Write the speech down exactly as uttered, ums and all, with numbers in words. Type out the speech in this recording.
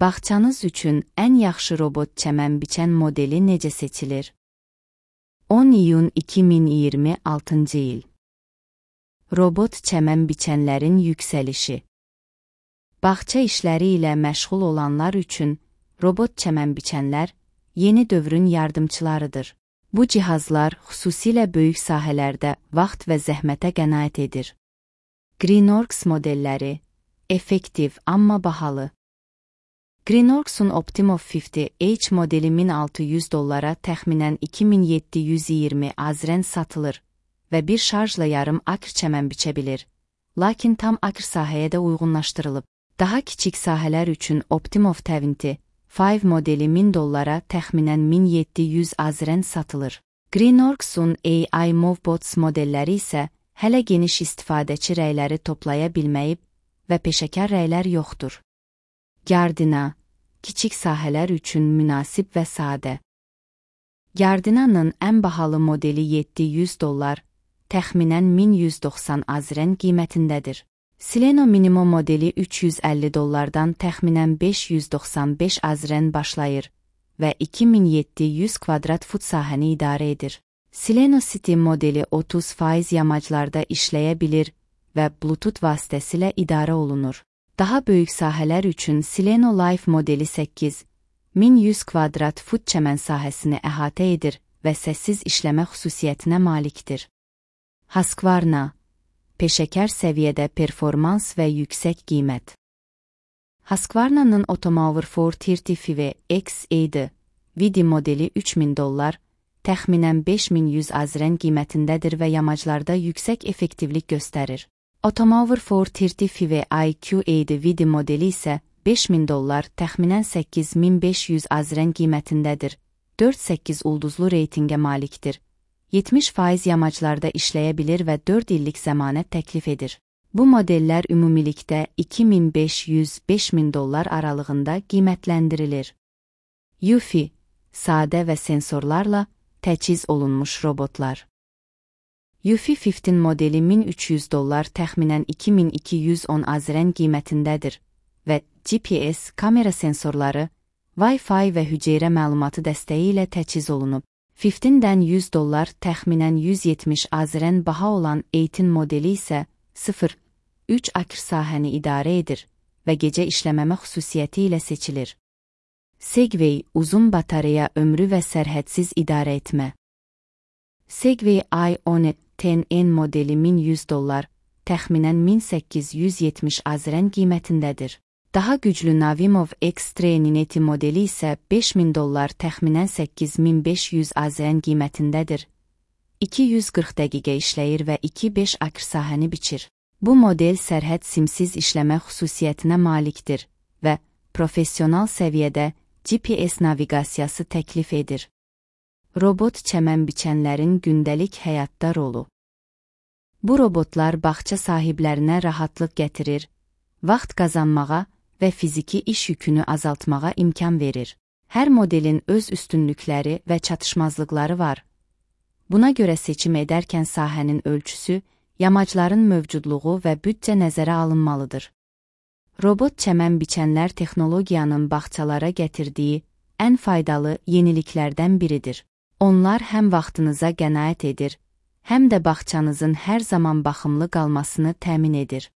Bağçanız üçün ən yaxşı robot çəmən biçən modeli necə seçilir? on iyun iki min iyirmi altıncı il. Robot çəmən biçənlərin yüksəlişi. Bağça işləri ilə məşğul olanlar üçün robot çəmən biçənlər yeni dövrün yardımçılarıdır. Bu cihazlar xüsusilə böyük sahələrdə vaxt və zəhmətə qənaət edir. Greenworks modelləri effektiv, amma bahalı. Greenworks'un Optimo əlli H modeli min altı yüz dollara təxminən iki min yeddi yüz iyirmi azrən satılır və bir şarjla yarım akr çəmən biçə bilir. Lakin tam akr sahəyə də uyğunlaşdırılıb. Daha kiçik sahələr üçün Optimo iyirmi beş modeli min dollara təxminən min yeddi yüz azrən satılır. Greenworks'un A I Movebots modelləri isə hələ geniş istifadəçi rəyləri toplaya bilməyib və peşəkar rəylər yoxdur. Gardina, kiçik sahələr üçün münasib və sadə. Gardina'nın ən bahalı modeli yeddi yüz dollar, təxminən min yüz doxsan azrən qiymətindədir. Sileno Minimo modeli üç yüz əlli dollardan təxminən beş yüz doxsan beş azrən başlayır və iki min yeddi yüz kvadrat fut sahəni idarə edir. Sileno City modeli otuz faiz yamaclarda işləyə bilir və Bluetooth vasitəsilə idarə olunur. Daha böyük sahələr üçün Sileno Life modeli səkkiz min yüz kvadrat fut çəmən sahəsini əhatə edir və səssiz işləmə xüsusiyyətinə malikdir. Husqvarna, peşəkar səviyyədə performans və yüksək qiymət. Husqvarna'nın Automower dörd yüz əlli beş X E Vidi modeli üç min dollar, təxminən beş min yüz azrən qiymətindədir və yamaclarda yüksək effektivlik göstərir. Automower dörd yüz əlli I Q E Vidi modeli isə beş min dollar, təxminən səkkiz min beş yüz azrən qiymətindədir. dörd səkkiz ulduzlu reytingə malikdir. yetmiş faiz yamaclarda işləyə bilir və dörd illik zəmanət təklif edir. Bu modellər ümumilikdə iki min beş yüz - beş min dollar aralığında qiymətləndirilir. Yufi, sadə və sensorlarla təchiz olunmuş robotlar. Yufi on beş modeli min üç yüz dollar, təxminən iki min iki yüz on azrən qiymətindədir və G P S kamera sensorları, Wi-Fi və hüceyrə məlumatı dəstəyi ilə təchiz olunub. ondan yüz dollar, təxminən yüz yetmiş azrən baha olan on modeli isə sıfır üç akr sahəni idarə edir və gecə işləməmə xüsusiyyəti ilə seçilir. Segway, uzun batareya ömrü və sərhədsiz idarə etmə. Segway i on on N modeli min yüz dollar, təxminən min səkkiz yüz yetmiş azrən qiymətindədir. Daha güclü Navimov X-Trail Nineti modeli isə beş min dollar, təxminən səkkiz min beş yüz azrən qiymətindədir. iki yüz qırx dəqiqə işləyir və iki beş akr sahəni biçir. Bu model sərhəd simsiz işləmə xüsusiyyətinə malikdir və professional səviyyədə G P S naviqasiyası təklif edir. Robot çəmən biçənlərin gündəlik həyatda rolu. Bu robotlar bağça sahiblərinə rahatlıq gətirir, vaxt qazanmağa və fiziki iş yükünü azaltmağa imkan verir. Hər modelin öz üstünlükləri və çatışmazlıqları var. Buna görə seçim edərkən sahənin ölçüsü, yamacların mövcudluğu və büdcə nəzərə alınmalıdır. Robot çəmən biçənlər texnologiyanın bağçalara gətirdiyi ən faydalı yeniliklərdən biridir. Onlar həm vaxtınıza qənaət edir, həm də bağçanızın hər zaman baxımlı qalmasını təmin edir.